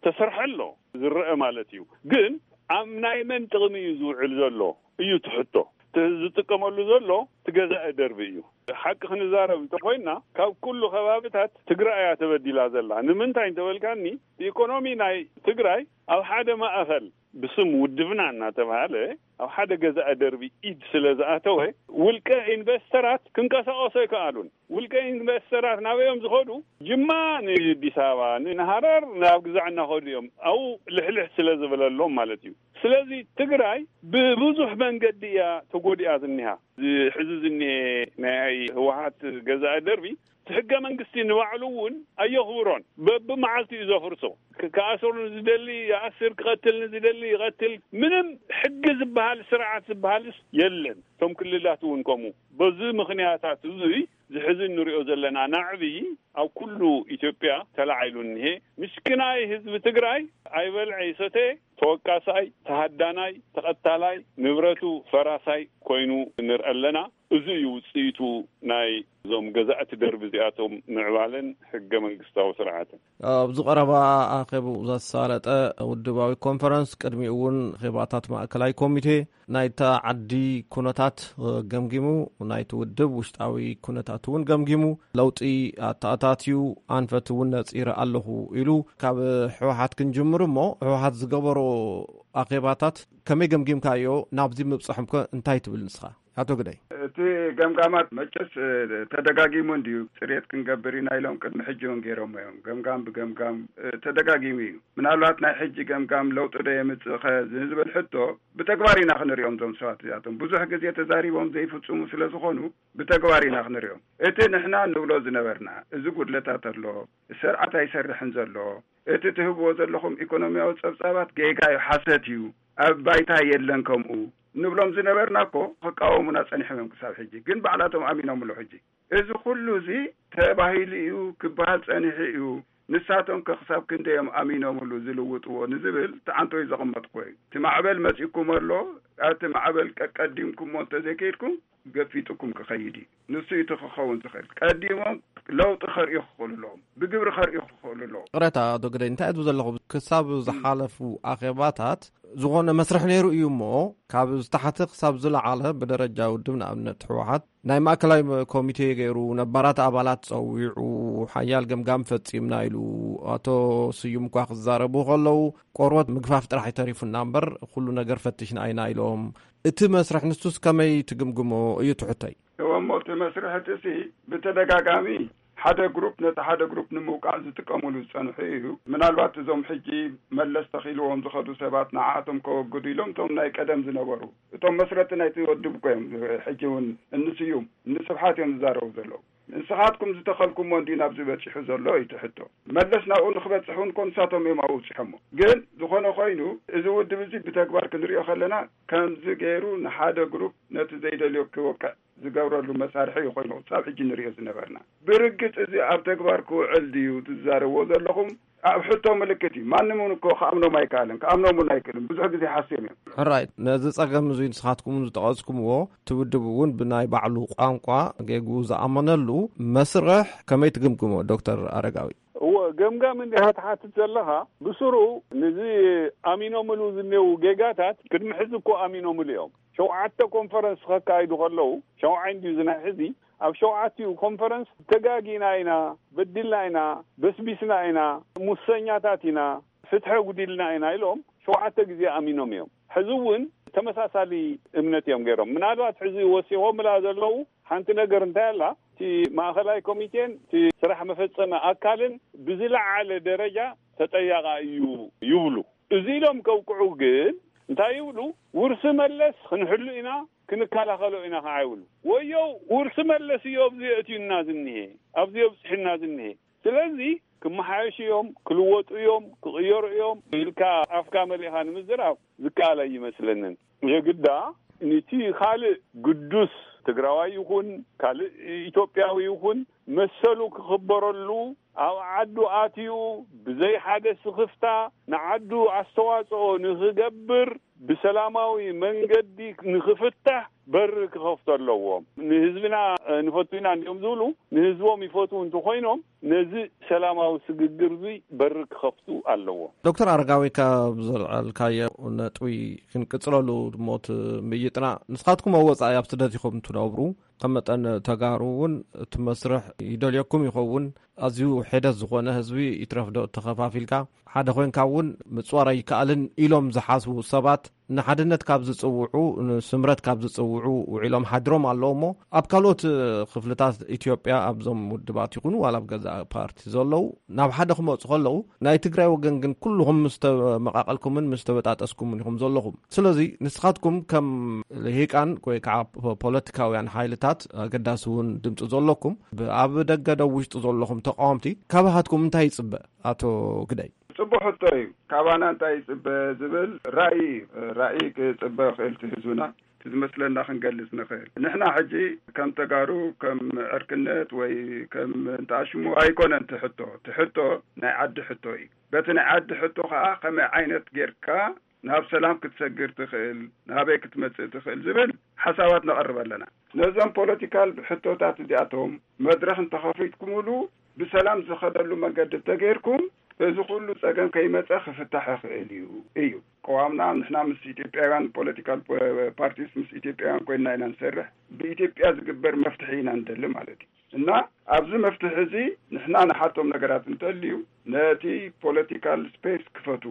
ተሰርሐ ኣሎ፣ ዝረአ ማለት እዩ። ግን ኣብ ናይ መን ጥቕሚ እዩ ዝውዕል ዘሎ እዩ ትሕቶ። እቲ ዝጥቀመሉ ዘሎ እቲ ገዛኢ ደርቢ እዩ። ሓቂ ክንዛረብ እንተኮይና፣ ካብ ኩሉ ከባብታት ትግራይ እያ ተበዲላ ዘላ። ንምንታይ እንተበልካኒ፣ ኢኮኖሚ ናይ ትግራይ ኣብ ሓደ ማእኸል ብስም ውድብና እናተባሃለ ኣብ ሓደ ገዛኢ ደርቢ ኢድ ስለ ዝኣተወ፣ ውልቀ ኢንቨስተራት ክንቀሳቀሱ ኣይከኣሉን። ውልቀ ኢንቨስተራት ናበይ እዮም ዝኸዱ? ጅማ ንኣዲስ ኣበባ፣ ን-፣ ንሃረር ናብ ግዛዕ እናኸዱ እዮም። ኣብኡ ልሕልሕ ስለ ዝበለሎም ማለት እዩ። ስለዚ ትግራይ ብብዙሕ መንገዲ እያ ተጎዲኣ ዝኒሃ። እዚ ሕዚ ዝኒሄ ናይ ህወሓት ገዛኢ ደርቢ፣ እቲ ሕገ መንግስቲ ንባዕሉ እውን ኣየኽብሮን። በብመዓልቲ እዩ ዘፍርሶ። ክ-፣ ክኣስር ንዝደሊ ይኣስር፣ ክቐትል ንዝደሊ ይቐትል። ምንም ሕጊ ዝበሃል፣ ስርዓት ዝበሃልስ የለን። እቶም ክልላት እውን ከምኡ። በዚ ምኽንያታት እዙይ፣ እዚ ሕዚ እንሪኦ ዘለና ናዕቢ ኣብ ኩሉ ኢትዮጵያ ተላዒሉ እኒሄ። ምሽኪናይ ህዝቢ ትግራይ ኣይበልዐ ይሰተ፣ ተወቃሳይ፣ ተሃዳናይ፣ ተቐታላይ፣ ንብረቱ ፈራሳይ ኮይኑ ንርኢ ኣለና። እዚ እዩ ውፅኢቱ ናይ እዞም ገዛእቲ ደርቢ እዚኣቶም ምዕባለን ሕገ መንግስታዊ ስርዓትን። ኣብዚ ቀረባ ኣኼቡ ዘሳለጠ ውድባዊ ኮንፈረንስ ቅድሚኡ እውን ኼባታት ማእከላይ ኮሚቴ ናይታ ዓዲ ኩነታት ገምጊሙ፣ ናይቲ ውድብ ውሽጣዊ ኩነታት እውን ገምጊሙ፣ ለውጢ ኣተኣታትዩ፣ ኣንፈት እውን ነጺረ ኣለኹ ኢሉ። ካብ ህወሓት ክንጅምር እሞ፣ ህወሓት ዝገበሮ ኣኼባታት ከመይ ገምጊምካዮ? ናብዚ ምብጻሕም ከ እንታይ ትብል ንስኻ? ኣቶ ግደይ። እቲ ገምጋማት መቸስ፣ እ፣ ተደጋጊሙ እንድዩ። ጽሬት ክንገብር ኢና ኢሎም ቅድሚ ሕጂ እውን ገይሮሞ እዮም። ገምጋም ብገምጋም፣ እ፣ ተደጋጊሙ እዩ። ምናልባት ናይ ሕጂ ገምጋም ለውጢ ዶ የምጽእ ኸ ንዝብል ሕቶ ብተግባር ኢና ክንሪኦም እዞም ሰባት እዚኣቶም። ብዙሕ ግዜ ተዛሪቦም ዘይፍጽሙ ስለ ዝኾኑ ብተግባር ኢና ክንሪኦም። እቲ ንሕና ንብሎ ዝነበርና፣ እዚ ጉድለታት ኣሎ፣ ስርዓት ኣይሰርሕን ዘሎ፣ እቲ ትህብዎ ዘለኹም ኢኮኖሚያዊ ጸብጻባት ጌጋ እዩ፣ ሓሰት እዩ፣ ኣብ ባይታ የለን ከምኡ ንብሎም ዝነበርና እኮ ክቃወሙና ጸኒሖም እዮም ክሳብ ሕጂ። ግን ባዕላቶም ኣሚኖምሉ ሕጂ። እዚ ኩሉ እዚ ተባሂሉ እዩ ክበሃል ጸኒሑ እዩ። ንሳቶም ከ ክሳብ ክንደይ እዮም ኣሚኖምሉ ዝልውጥዎ ንዝብል ተዓንቶ እዩ ዘቐመጥኩዎ እዩ። እቲ ማዕበል መጺእኩም ኣሎ፣ ኣብቲ ማዕበል ቀቀዲምኩሞ እንተዘይከይድኩም ገፊጥኩም ክኸይድ እዩ። ንሱ እዩ እቲ ክኸውን ዝኽእል። ቀዲሞም ለውጢ ከርእዩ ክኽእሉ ኣለዎም። ብግብሪ ከርእዩ ክኽእሉ ኣለዎም። ቅሬታ ዶ ግደይ፣ እንታይ ትብል ዘለኹ? ክሳብ ዝሓለፉ ኣኼባታት ዝኾነ መስርሕ ነይሩ እዩ እሞ፣ ካብ ዝተሓተ ክሳብ ዝለዓለ ብደረጃ ውድብ፣ ንኣብነት ህወሓት ናይ ማእከላይ ኮሚቴ ገይሩ፣ ነባራት ኣባላት ጸዊዑ፣ ሓያል ገምጋም ፈጺምና ኢሉ። ኣቶ ስዩም እኳ ክዛረቡ ከለዉ፣ ቆርበት ምግፋፍ ጥራሕ ተሪፉና እምበር፣ ኩሉ ነገር ፈቲሽና ኢና ኢሎም። እቲ መስርሕ ንሱስ ከመይ ትግምግሞ እዩ ትሕቶይ። እወ እሞ፣ እቲ መስርሕ እቲ ሲ ብተደጋጋሚ ሓደ ግሩፕ ነቲ ሓደ ግሩፕ ንምውቃዕ ዝጥቀምሉ ዝጸንሑ እዩ። ምናልባት እዞም ሕጂ መለስ ተኺልዎም ዝኸዱ ሰባት ንዓኣቶም ከወግዱ ኢሎም እቶም ናይ ቀደም ዝነበሩ፣ እቶም መስረቲ ናይቲ ወድብ እኮ እዮም። ሕጂ እውን እንስዩም እንስብሓት እዮም ዝዛረቡ ዘለዉ። ንስኻትኩም ዝተኸልኩሞ እንዲ ናብዚ በጺሑ ዘሎ እዩ እቲ ሕቶ። መለስ ናብኡ ንክበጽሕ እውን እኮ ንሳቶም እዮም ኣብኡ ኣብጺሖሞ። ግን ዝኾነ ኮይኑ፣ እዚ ውድብ እዚ ብተግባር ክንሪኦ ከለና፣ ከምዚ ገይሩ ንሓደ ግሩፕ ነቲ ዘይደልዮ ክወቅዕ ዝገብረሉ መሳርሒ እዩ ኮይኑ ክሳብ ሕጂ ንሪኦ ዝነበርና። ብርግጽ እዚ ኣብ ተግባር ክውዕል ድዩ ትዛረብዎ ዘለኹም? ኣብ ሕቶ ምልክት እዩ። ማንም እውን እኮ ክኣምኖም ኣይከኣልን፣ ክኣምኖም እውን ኣይክእልን። ብዙሕ ግዜ ሓስዮም እዮም። ሕራይ፣ ነዚ ጸገም እዚ ንስኻትኩም ዝጠቐስኩምዎ፣ እቲ ውድብ እውን ብናይ ባዕሉ ቋንቋ ጌግኡ ዝኣመነሉ መስርሕ ከመይ ትግምግሞ ዶክተር ኣረጋዊ? እወ፣ ገምጋም እንዲኻ ትሓትት ዘለኻ፣ ብስሩ ንዚ ኣሚኖምሉ ዝኔው ጌጋታት ቅድሚ ሕዚ እኮ ኣሚኖምሉ እዮም። ሸውዓተ ኮንፈረንስ ከካይዱ ከለዉ፣ ሸውዓይ እንድዩ እዚ ናይ ሕዚ፣ ኣብ ሸውዓቲኡ ኮንፈረንስ ተጋጊና ኢና፣ በዲልና ኢና፣ በስቢስና ኢና፣ ሙሰኛታት ኢና፣ ፍትሒ ጉዲልና ኢና ኢሎም ሸውዓተ ግዜ ኣሚኖም እዮም። ሕዚ እውን ተመሳሳሊ እምነት እዮም ገይሮም። ምናልባት ሕዚ ወሲኾምላ ዘለዉ ሓንቲ ነገር እንታይ ኣላ፣ ማእኸላይ ኮሚቴን እቲ ስራሕ መፈጸሚ ኣካልን ብዝለዓለ ደረጃ ተጠያቓ እዩ ይብሉ። እዚ ኢሎም ከውቅዑ ግን እንታይ ይብሉ? ውርሲ መለስ ክንሕሉ ኢና፣ ክንከላኸሎ ኢና ከዓ ይብሉ። ወዮ ውርሲ መለስ እዩ ኣብዚ የእትዩና ዝኒሄ፣ ኣብዚ የብፅሕና ዝኒሄ። ስለዚ ክመሓየሹ እዮም፣ ክልወጡ እዮም፣ ክቕየሩ እዮም ኢልካ ኣፍካ መሊእኻ ንምዝራብ ዝከኣል ኣይመስለንን። የግዳ ንቲ ካልእ ግዱስ ትግራዋይ ይኹን ካልእ ኢትዮጵያዊ ይኹን መሰሉ ክኽበረሉ ኣብ ዓዱ ኣትዩ ብዘይ ሓደ ስኽፍታ ንዓዱ ኣስተዋፅኦ ንኽገብር ብሰላማዊ መንገዲ ንኽፍታሕ በሪ ክኸፍቱ ኣለዎም። ንህዝብና ንፈቱ ኢና እንዲኦም ዝብሉ ንህዝቦም ይፈትዉ እንተኾይኖም ነዚ ሰላማዊ ስግግር እዚ በሪ ክኸፍቱ ኣለዎም። ዶክተር ኣረጋዊ፣ ካብ ዘልዓልካዮ ነጥቢ ክንቅጽለሉ ድሞት ምይጥና፣ ንስኻትኩም ኣብ ወጻኢ ኣብ ስደት ኢኹም ትነብሩ። ከም መጠን ተጋሩ እውን እቲ መስርሕ ይደልየኩም ይኸውን። ኣዝዩ ሒደት ዝኾነ ህዝቢ ይትረፍ ዶ ተኸፋፊልካ ሓደ ኮይንካ እውን ምጽዋር ኣይከኣልን ኢሎም ዝሓስቡ ሰባት ንሓድነት ካብ ዝጽውዑ፣ ንስምረት ካብ ዝጽውዑ ውዒሎም ሓድሮም ኣለዉ እሞ፣ ኣብ ካልኦት ክፍልታት ኢትዮጵያ ኣብዞም ውድባት ይኹኑ ዋላ ኣብ ገዛእ ፓርቲ ዘለዉ ናብ ሓደ ክመጹ ከለዉ፣ ናይ ትግራይ ወገን ግን ኩልኹም ምስ ተመቃቀልኩምን ምስ ተበጣጠስኩምን ኢኹም ዘለኹም። ስለዚ ንስኻትኩም ከም ልሂቃን ወይ ከዓ ፖ-፣ ፖለቲካውያን ሓይልታት ኣገዳሲ እውን ድምፂ ዘለኩም፣ ብ-፣ ኣብ ደገ ዶ ውሽጢ ዘለኹም ተቃወምቲ ካባኻትኩም እንታይ ይጽበ? ኣቶ ግደይ። ጽቡቅ ሕቶ እዩ። ካባና እንታይ ይጽበ ዝብል ራእይ፣ ራእይ ክጽበ ይኽእል እቲ ህዝብና። እቲ ዝመስለና ክንገልጽ ንኽእል። ንሕና ሕጂ ከም ተጋሩ፣ ከም ዕርክነት ወይ ከም እንተኣሽሙ ኣይኮነን እቲ ሕቶ። እቲ ሕቶ ናይ ዓዲ ሕቶ እዩ። በቲ ናይ ዓዲ ሕቶ ኸኣ ከመይ ዓይነት ጌርካ ናብ ሰላም ክትሰግር ትኽእል፣ ናበይ ክትመጽእ ትኽእል ዝብል ሓሳባት ነቕርብ ኣለና። ነዞም ፖለቲካል ሕቶታት እዚኣቶም መድረኽ እንተኸፊትኩምሉ ብሰላም ዝኸደሉ መንገዲ እንተገይርኩም፣ እዚ ኩሉ ጸገም ከይመጸ ክፍታሕ ይኽእል እዩ፣ እዩ። ቅዋምና ንሕና ምስ ኢትዮጵያውያን ፖለቲካል ፖ-፣ ፓርቲስ ምስ ኢትዮጵያውያን ኮይንና ኢና ንሰርሕ። ብኢትዮጵያ ዝግበር መፍትሒ ኢና ንደሊ ማለት እዩ። እና ኣብዚ መፍትሒ እዚ ንሕና ንሓቶም ነገራት እንተልዩ ነቲ ፖለቲካል ስፔስ ክፈቱ፣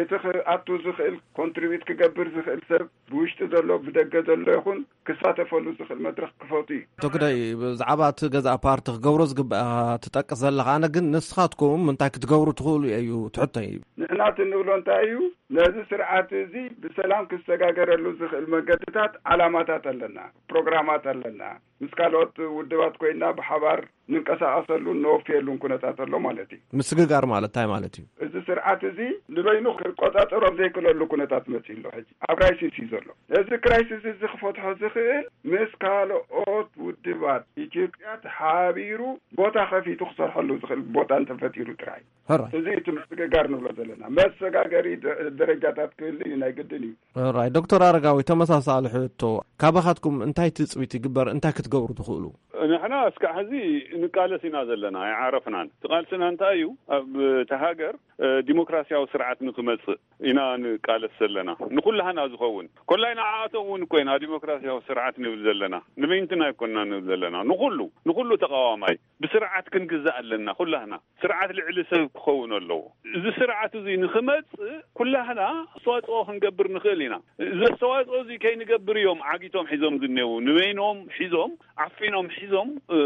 እቲ ክኣቱ ዝኽእል ኮንትሪቢዩት ክገብር ዝኽእል ሰብ ብውሽጢ ዘሎ ብደገ ዘሎ ይኹን ክሳተፈሉ ዝኽእል መድረኽ ክፈቱ እዩ። ኣቶ ግደይ፣ ብዛዕባ እቲ ገዛእ ፓርቲ ክገብሮ ዝግባእ ትጠቅስ ዘለኻ፣ ኣነ ግን ንስኻትኩም እንታይ ክትገብሩ ትኽእሉ እዩ ትሕቶ እዩ። ንሕና እቲ እንብሎ እንታይ እዩ፣ ነዚ ስርዓት እዚ ብሰላም ክሰጋገረሉ ዝኽእል መገድታት፣ ዓላማታት ኣለና፣ ፕሮግራማት ኣለና። ምስ ካልኦት ውድባት ኮይና ብሓባር ንንቀሳቐሰሉን ነወፍየሉን ኩነታት ኣሎ ማለት እዩ። ምስግጋር ማለት እንታይ ማለት እዩ? እዚ ስርዓት እዚ ንበይኑ ክቆጻጸሮ ኣብ ዘይክእለሉ ኩነታት መጺኡ ኣሎ። ሕጂ ኣብ ክራይሲስ እዩ ዘሎ። እዚ ክራይሲስ እዚ ክፈትሖ ዝኽእል ምስ ካልኦት ውድባት ኢትዮጵያ ተሓቢሩ ቦታ ከፊቱ ክሰርሐሉ ዝኽእል ቦታ እንተፈጢሩ ጥራይ። ሕራይ። እዚ እቲ ምስግጋር ንብሎ ዘለና። መሰጋገሪ ደ-፣ ደረጃታት ክህሉ እዩ፣ ናይ ግድን እዩ። ሕራይ። ዶክተር ኣረጋዊ፣ ተመሳሳሊ ሕቶ፣ ካባኻትኩም እንታይ ትጽቢት ይግበር፣ እንታይ ክትገብሩ ትኽእሉ? ንሕና እስካዕ ሕዚ ንቃለስ ኢና ዘለና፣ ኣይዓረፍናን። እቲ ቃልስና እንታይ እዩ? ኣብ እታ ሃገር፣ እ፣ ዲሞክራሲያዊ ስርዓት ንክመጽእ ኢና ንቃለስ ዘለና። ንኩላህና ዝኸውን። ኮላይ ንዓኣቶም እውን እኮ ኢና ዲሞክራሲያዊ ስርዓት ንብል ዘለና። ንበይንትና ኣይኮንና ንብል ዘለና። ንኩሉ፣ ንኩሉ ተቃዋማይ ብስርዓት ክንግዛእ ኣለና ኩላህና። ስርዓት ልዕሊ ሰብ ክኸውን ኣለዎ። እዚ ስርዓት እዚ ንክመጽእ ኩላህና ኣስተዋጽኦ ክንገብር ንኽእል ኢና። እዚ ኣስተዋጽኦ እዚ ከይንገብር እዮም ዓጊቶም ሒዞም ዝኔዉ። ንበይኖም ሒዞም፣ ዓፊኖም ሒዞም፣ እ፣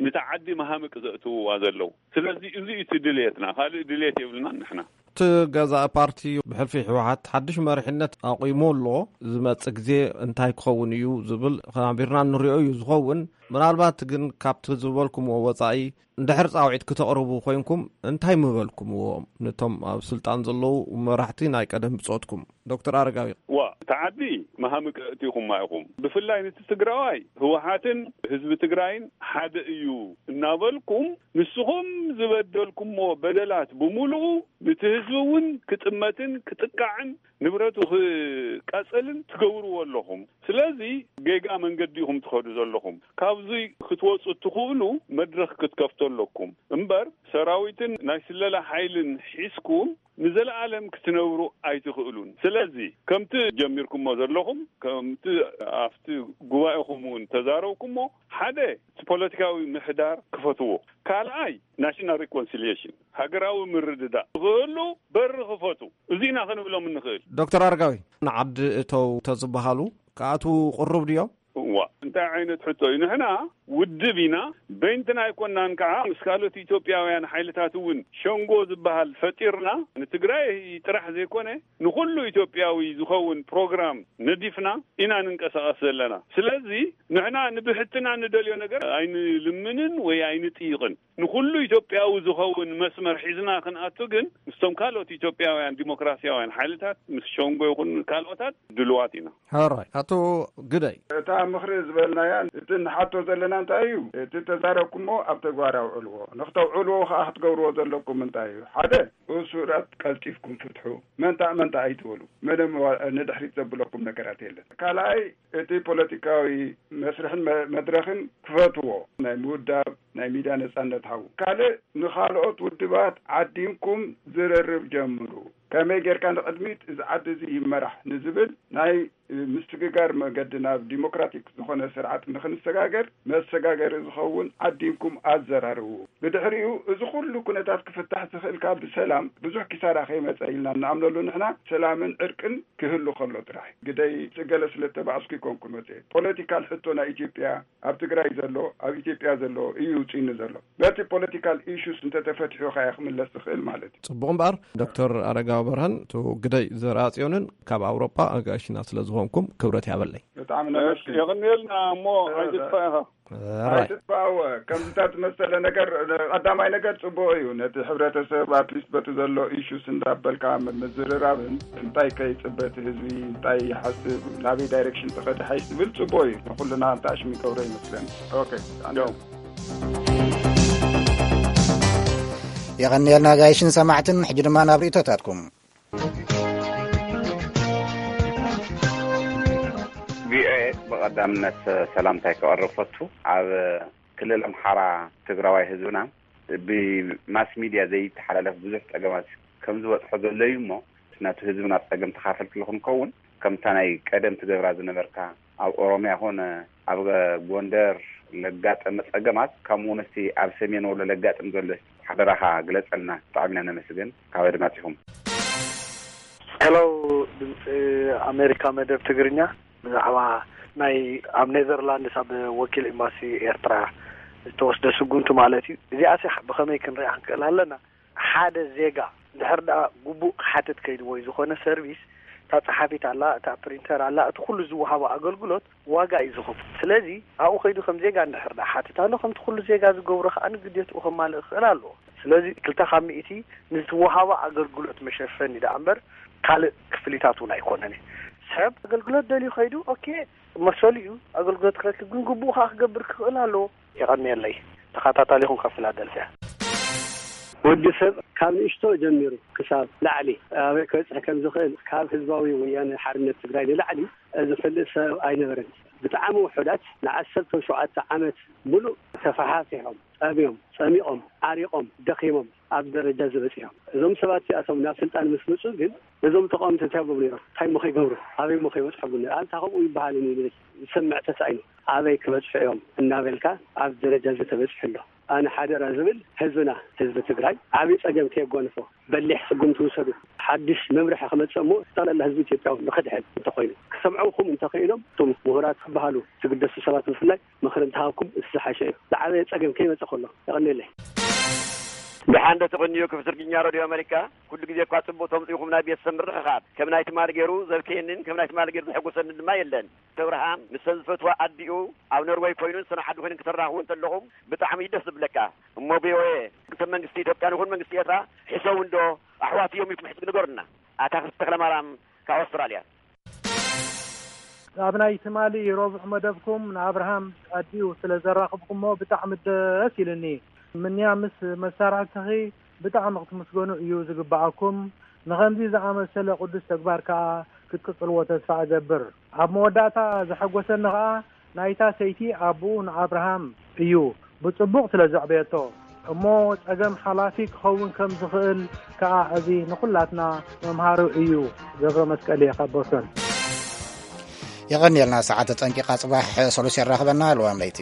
ነታ ዓዲ መሃምቅ ዘእትውዋ ዘለዉ። ስለዚ እዚ እዩ እቲ ድልየትና። ካልእ ድልየት የብልናን ንሕና። እቲ ገዛኢ ፓርቲ ብሕልፊ ህወሓት ሓድሽ መሪሕነት ኣቑሙ ኣሎ። ዝመጽእ ግዜ እንታይ ክኸውን እዩ ዝብል ሓቢርና ንሪኦ እዩ ዝኸውን። ምናልባት ግን ካብቲ ዝበልኩምዎ ወጻኢ እንድሕር ጻውዒት ክተቕርቡ ኮይንኩም እንታይ ምበልኩምዎም ነቶም ኣብ ስልጣን ዘለዉ መራሕቲ ናይ ቀደም ብጾትኩም? ዶክተር ኣረጋዊ። ዋ፣ እታ ዓዲ መሃምቅ እቲኹማ ኢኹም። ብፍላይ ነቲ ትግራዋይ ህወሓትን ህዝቢ ትግራይን ሓደ እዩ እናበልኩም ንስኹም ዝበደልኩሞ በደላት ብምሉኡ ነቲ ህዝቢ እውን ክጥመትን ክጥቃዕን ንብረቱ ክቃጸልን ትገብርዎ ኣለኹም። ስለዚ ጌጋ መንገዲ ኢኹም ትኸዱ ዘለኹም። ካብዚ ክትወጹ እትኽእሉ መድረኽ ክትከፍቱ ኣለኩም። እምበር ሰራዊትን ናይ ስለላ ሓይልን ሒዝኩም ንዘለኣለም ክትነብሩ ኣይትኽእሉን። ስለዚ ከምቲ ጀሚርኩሞ ዘለኹም፣ ከምቲ ኣብቲ ጉባኤኹም እውን ተዛረብኩሞ፣ ሓደ እቲ ፖለቲካዊ ምሕዳር ክፈትዎ፣ ካልኣይ ናሽናል ሪኮንሲሊየሽን፣ ሃገራዊ ምርድዳእ ክህሉ በሪ ክፈቱ። እዚ ኢና ክንብሎም እንኽእል። ዶክተር ኣረጋዊ፣ ንዓዲ እተው ተዝበሃሉ ክኣትዉ ቅሩብ ድዮም? እዋ፣ እንታይ ዓይነት ሕቶ እዩ? ንሕና ውድብ ኢና፣ በይንትና ኣይኮናን። ከዓ ምስ ካልኦት ኢትዮጵያውያን ሓይልታት እውን ሸንጎ ዝበሃል ፈጢርና፣ ንትግራይ ጥራሕ ዘይኮነ ንኹሉ ኢትዮጵያዊ ዝኸውን ፕሮግራም ነዲፍና ኢና ንንቀሳቐስ ዘለና። ስለዚ ንሕና ንብሕትና ንደልዮ ነገር ኣይንልምንን ወይ ኣይንጥይቕን። ንኹሉ ኢትዮጵያዊ ዝኸውን መስመር ሒዝና ክንኣቱ ግን ምስቶም ካልኦት ኢትዮጵያውያን ዲሞክራሲያውያን ሓይልታት፣ ምስ ሸንጎ ይኹን ካልኦታት ድልዋት ኢና። ሕራይ። ኣቶ ግደይ። እታ ምኽሪ ዝበልናያ፣ እቲ ንሓቶ ዘለና እንታይ እዩ? እቲ ተዛረብኩሞ ኣብ ተግባር ኣውዕልዎ። ንክተውዕልዎ ከኣ ክትገብርዎ ዘለኩም እንታይ እዩ? ሓደ፣ እሱራት ቀልጢፍኩም ፍትሑ። መንታ መንታ ኣይትበሉ። ምንም ዋ-፣ ንድሕሪት ዘብለኩም ነገራት የለን። ካልኣይ፣ እቲ ፖለቲካዊ መስርሕን መ-፣ መድረኽን ክፈትዎ። ናይ ምውዳብ፣ ናይ ሚድያ ነጻነት ሃቡ። ካልእ፣ ንኻልኦት ውድባት ዓዲምኩም ዝርርብ ጀምሩ። ከመይ ጌርካ ንቕድሚት እዚ ዓዲ እዚ ይመራሕ ንዝብል ናይ ምስግጋር መገዲ ናብ ዲሞክራቲክ ዝኾነ ስርዓት ንኽንሰጋገር፣ መሰጋገሪ ዝኸውን ዓዲምኩም ኣዘራርቡ። ብድሕሪኡ እዚ ኩሉ ኩነታት ክፍታሕ ዝኽእልካ ብሰላም፣ ብዙሕ ኪሳራ ከይመጸ ኢልና እንኣምነሉ ንሕና፣ ሰላምን ዕርቅን ክህሉ ከሎ ጥራሕ። ግደይ ጽገለ ስለ እተባእስኩ ይኮንኩን መጽኤ። ፖለቲካል ሕቶ ናይ ኢትዮጵያ ኣብ ትግራይ ዘሎ፣ ኣብ ኢትዮጵያ ዘሎ እዩ ውጺኑ ዘሎ። በቲ ፖለቲካል ኢሹስ እንተተፈትሑ ከኣ ክምለስ ዝኽእል ማለት እዩ። ጽቡቕ እምበኣር፣ ዶክተር ኣረጋዊ በርሀን፣ እቱ ግደይ ዘርኣጽዮንን ካብ ኣውሮጳ ኣጋይሽና ስለ ዝኾንኩም ክብረት ያበለይ። ብጣዕሚ እሺ፣ ነመስግን። የቐንየልና እሞ እ፣ ኣይትጥፋእ ኢኻ። ራይ። ኣይትጥፋእወ። ከምዚታት ዝመሰለ ነገር፣ ቀዳማይ ነገር ጽቡቕ እዩ። ነቲ ሕብረተሰብ ኣትሊስት በቲ ዘሎ ኢሹስ እንዳበልካ ም-፣ ምዝርራብን እንታይ ከይጽበ እቲ ህዝቢ፣ እንታይ ይሓስብ፣ ናበይ ዳይሬክሽን ተኸደ ሓይሽ ዝብል ጽቡቕ እዩ። ንኹልና እንተ ኣሽም ይገብሮ ይመስለኒ። ኦኬ። ያው። የቐንየልና ጋይሽን ሰማዕትን። ሕጂ ድማ ናብ ርእይቶታትኩም። ቪኦኤ፣ ብቐዳምነት ሰላምታይ ከቐርብ ፈቱ። ኣብ ክልል ኣምሓራ ትግራዋይ ህዝብና ብማስ ሚድያ ዘይተሓላለፍ ብዙሕ ጸገማት ከም ዝበጽሖ ዘሎ እዩ እሞ፣ ናቱ ህዝብና ጸገም ተኻፈልቲ ንኽንከውን፣ ከምታ ናይ ቀደም ትገብራ ዝነበርካ፣ ኣብ ኦሮምያ ኾነ ኣብ ጎንደር ለጋጠመ ጸገማት፣ ከምኡ እውን እስቲ ኣብ ሰሜን ወሎ ለጋጥም ዘሎ ሓደራኻ ግለጸልና። ብጣዕሚ ኢና ነመስግን ካብ ኣድማጺኹም። ሄሎ፣ ድምፂ ኣሜሪካ መደብ ትግርኛ፣ ብዛዕባ ናይ ኣብ ኔዘርላንድስ ኣብ ወኪል ኤምባሲ ኤርትራ ዝተወስደ ስጉምቲ ማለት እዩ። እዚኣሲ ብኸመይ ክንሪኣ ክንክእል ኣለና? ሓደ ዜጋ እንድሕር ደኣ ግቡእ ክሓትት ከይዱ ወይ ዝኾነ ሰርቪስ፣ እታ ጸሓፊት ኣላ፣ እታ ፕሪንተር ኣላ፣ እቲ ኩሉ ዝወሃቦ ኣገልግሎት ዋጋ እዩ ዝኸፍል። ስለዚ ኣብኡ ከይዱ ከም ዜጋ እንድሕር ደኣ ሓትት ኣሎ፣ ከምቲ ኩሉ ዜጋ ዝገብሮ ከኣ ንግዴትኡ ከማልእ ክኽእል ኣለዎ። ስለዚ ክልተ ካብ ሚእቲ ንዝወሃቦ ኣገልግሎት መሸፈኒ ደኣ እምበር ካልእ ክፍሊታት እውን ኣይኮነን። ሰብ ኣገልግሎት ደልዩ ከይዱ፣ ኦኬ፣ መሰሉ እዩ። ኣገልግሎት ክረክብ ግን ግቡእ ከኣ ክገብር ክኽእል ኣለዎ። የቐንየለይ። ተኸታታሊኹም ካብ ፊላደልፊያ። ወዲ ሰብ ካብ ንእሽቶ ጀሚሩ ክሳብ ላዕሊ ኣበይ ክበጽሕ ከም ዝኽእል ካብ ህዝባዊ ወያነ ሓርነት ትግራይ ንላዕሊ ዝፈልጥ ሰብ ኣይነበረን። ብጣዕሚ ውሑዳት ንዓሰርተ ሸውዓተ ዓመት ሙሉእ ተፈሓሲሖም፣ ጠምዮም፣ ጸሚቖም፣ ዓሪቖም፣ ደኺሞም ኣብ ደረጃ ዝበጽሖም። እዞም ሰባት እዚኣቶም ናብ ስልጣን ምስ መጹ ግን እዞም ተቃወምቲ እንታይ ይገብሩ ነይሮም? እንታይ እሞ ከይገብሩ? ኣበይ እሞ ከይበጽሑ? ኣንታ ከምኡ ይበሃል እዩ ዝሰምዕ ተሳኢኑ። ኣበይ ክበጽሑ እዮም እናበልካ ኣብ ደረጃ እዚ ተበጺሑ ኣሎ። ኣነ ሓደራ ዝብል ህዝብና፣ ህዝቢ ትግራይ ዓብዪ ጸገም ከየጓንፎ በሊሕ ስጉምቲ ውሰዱ። ሓድሽ መምርሒ ክመጽእ እሞ ጠቕላላ ህዝቢ ኢትዮጵያ እውን ንኽድሕን እንተኾይኑ፣ ክሰምዑኹም እንተኽኢሎም እቶም ምሁራት ዝበሃሉ ዝግደሱ ሰባት ብፍላይ ምኽሪ እንተሃብኩም እቲ ዝሓሸ እዩ። ዝዓበየ ጸገም ከይመጸ ከሎ። የቐንየለይ። ደሓን ዶ ትቕንዩ ክፍቲ ትግርኛ ሬድዮ ኣመሪካ? ኩሉ ግዜ እኳ ጽቡቕ ተምጽኡኹም ናይ ቤተሰብ ምርኽኻብ። ከም ናይ ትማሊ ገይሩ ዘብክየንን ከም ናይ ትማሊ ገይሩ ዘሐጎሰንን ድማ የለን። እብርሃም ምስተን ዝፈትዋ ኣዲኡ ኣብ ኖርወይ ኮይኑ ንሰን ሓዲ ኮይነን ክተራኽቡ እንተለኹም ብጣዕሚ እዩ ደስ ዝብለካ። እሞ ቪኦኤ፣ ክልተ መንግስቲ ኢትዮጵያ ንኹን መንግስቲ ኤርትራ ሕሰው እንዶ ኣሕዋት እዮም ኢልኩም ሕጂ ንገሩና። ኣታ ክፍቲ ተኽለማርያም ካብ ኣውስትራልያ። ኣብ ናይ ትማሊ ረቡዕ መደብኩም ንኣብርሃም ኣዲኡ ስለ ዘራኽብኩሞ ብጣዕሚ ደስ ኢሉኒ። ምንያ ምስ መሳርሕትኺ ብጣዕሚ ክትምስገኑ እዩ ዝግብኣኩም። ንኸምዚ ዝኣመሰለ ቅዱስ ተግባር ከኣ ክትቅጽልዎ ተስፋ እገብር። ኣብ መወዳእታ ዘሐጎሰኒ ከኣ ናይታ ሰይቲ ኣቦኡ ንኣብርሃም እዩ ብጽቡቕ ስለ ዘዕበየቶ። እሞ ጸገም ሓላፊ ክኸውን ከም ዝኽእል ከኣ እዚ ንኹላትና መምሃሪ እዩ። ገብረ መስቀል እየ ካብ ቦስተን። የቐንየልና። ሰዓት ተጠንቂቓ፣ ጽባሕ ሰሉስ የራኽበና። ልዋም ለይቲ።